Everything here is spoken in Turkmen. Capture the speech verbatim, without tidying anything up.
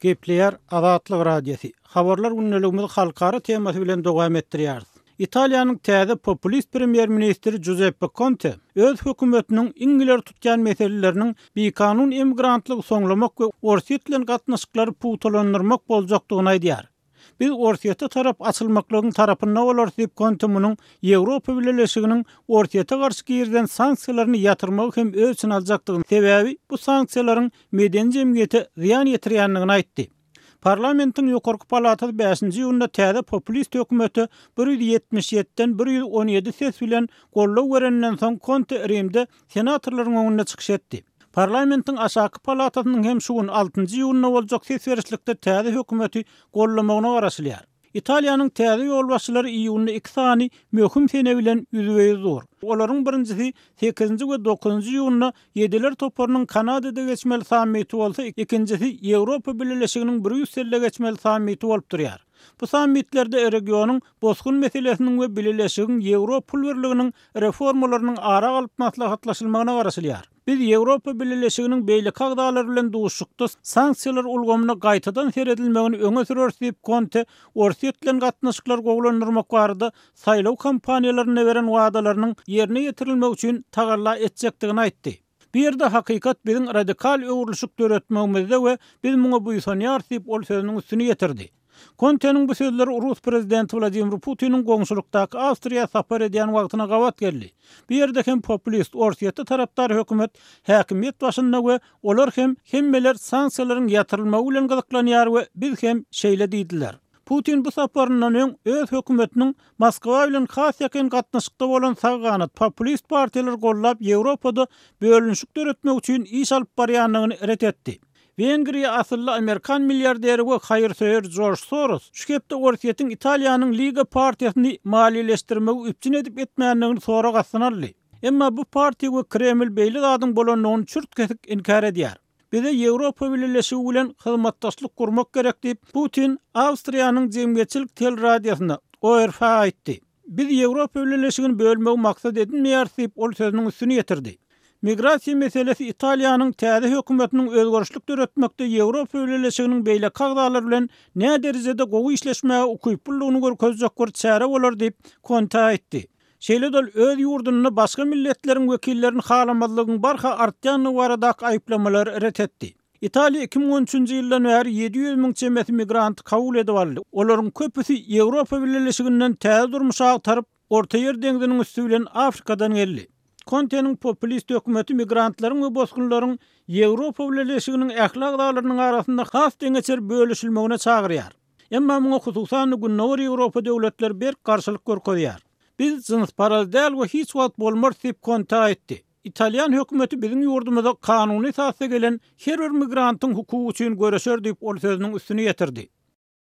Gepleýär Azatlyk Radiosy. Habarlar gündeligimizi halkara temasy bilen dowam etdirýäris. Italiýanyň täze populist premýer-ministri Giuseppe Conte öz hökümetiniň iň ileri tutýan meseleleriniň bikanun immigrantlygy soňlamak we Orsýet bilen gatnaşyklary pugtalandyrmak boljakdygyny aýdýar. Biz Orsýete tarap açylmaklygyň tarapynda bolarys diýip Conte munuň Ýewropa Bileleşiginiň Orsýete garşy girizilen sanksiýalaryny ýatyrmagy hem öz içine aljakdygyny, sebäbi bu sanksiýalaryň medeni jemgyýete zyýan ýetirýändigini aýtdy. Parlamentiň ýokarky palatasy bäşinji iýunda täze populist hökümete bir ýüz ýetmiş ýediden bir ýüz on ýedi ses bilen goldaw berenden soň Conte Rimde senatorlaryň öňünde çykyş etdi. Parlamentiň aşaky palatasynyň hem şu gün altynjy iýunda boljak ses berişlikde täze hökümeti goldamagyna garaşylýar. Italiýanyň täze ýolbaşçylary iýunda iki sany möhüm sene bilen ýüzbe-ýüz dur. Olaryň birinjisi sekizinji we dokuzynjy iýunda Ýediler toparynyň Kanadada geçmeli sammiti bolsa, ikinjisi Ýewropa Bileleşiginiň Brýusselde geçmeli sammiti bolup durýar. Bu sammitlerde regionyň bosgun meselesiniň we Bileleşigiň Ýewro pul birliginiň reformalarynyň ara alyp maslahatlaşylmagyna garaşylýar. Biz Ýewropa Bileleşiginiň beýleki agzalary bilen duşuşykda sanksiýalar ulgamyna gaýtadan seredilmegini öňe süreris diýip Conte Orsýet bilen gatnaşyklary gowulandyrmak barada saýlaw kampaniýalarynda beren wadalarynyň ýerine ýetirilmegi üçin tagalla etjekdigini aýtdy. Bu ýerde hakykat biziň radikal öwrülişik döretmegimizde we biz muňa buýsanýarys diýip ol sözüniň üstüni ýetirdi. Konteniň bu sözleri Rus prezidenti Wladimir Putiniň goňşulykdaky Awstriýa sapar edýän wagtyna gabat geldi. Bu ýerde hem populist Orsýetde tarapdar hökümet häkimiýet başynda we olar hem hemmeler sanksiýalaryň ýatyrylmagy bilen gyzyklanýar we biz hem şeýle diýdiler. Putin bu saparyndan öň öz hökümetiniň Moskwa bilen has ýakyn gatnaşykda bolan sag ganat populist partiýalary gollap Ýewropada bölünişik döretmek üçin iş alyp barýandygyny ret etdi. Wengriýa asylly Amerikan milliarderi we haýyrsöýer George Soros şu hepde Orsýetiň Italiýanyň Liga partiýasyny maliýeleşdirmegi üpjün edip etmändigini sorag astyna aldy. Emma bu partiýa we Kreml beýle zadyň bolandygyny çürt kesik inkär edýär. Bize Ýewropa Bileleşigi bilen hyzmatdaşlyk gurmak gerek diýip Putin Awstriýanyň jemgyýetçilik teleradiosyna O R F aýtdy. Biz Ýewropa Bileleşigini bölmegi maksat edinmeýäris diýip ol sözüniň üstüni ýetirdi. Migrasiýa meselesi Italiýanyň täze hökümetiniň özgerişlik döretmekde Ýewropa Bileleşiginiň beýleki agzalary bilen nä derejede gowy işleşmäge ukyplylygyny görkezjek bir çäre bolar diýip Conte aýtdy. Şeýle-de ol öz ýurdunda başga milletleriň wekillerini halamazlygyň barha artýandygy baradaky aýyplamalary ret etdi. Italiýa iki müň on üçünji ýyldan bäri ýedi ýüz müň çemesi migranty kabul edip aldy. Olaryň köpüsi Ýewropa Bileleşiginden täze durmuş agtaryp, Orta Ýer deňziniň üsti bilen Afrikadan geldi. Konteniň populist hökümeti migrantlaryň we bosgunlaryň Ýewropa Bileleşiginiň ähli agzalarynyň arasynda has deňeçer bölüşilmegine çagyrýar. Emma muňa hususan Gündogar Ýewropa döwletleri berk garşylyk görkezýär. Biz jynsparaz däl we hiç wagt bolmarys diýip Conte aýtdy. Italýan hökümeti biziň ýurdumyza kanuny esasda gelen her bir migrantyň hukugy üçin göreşer diýip ol sözüniň üstüni ýetirdi.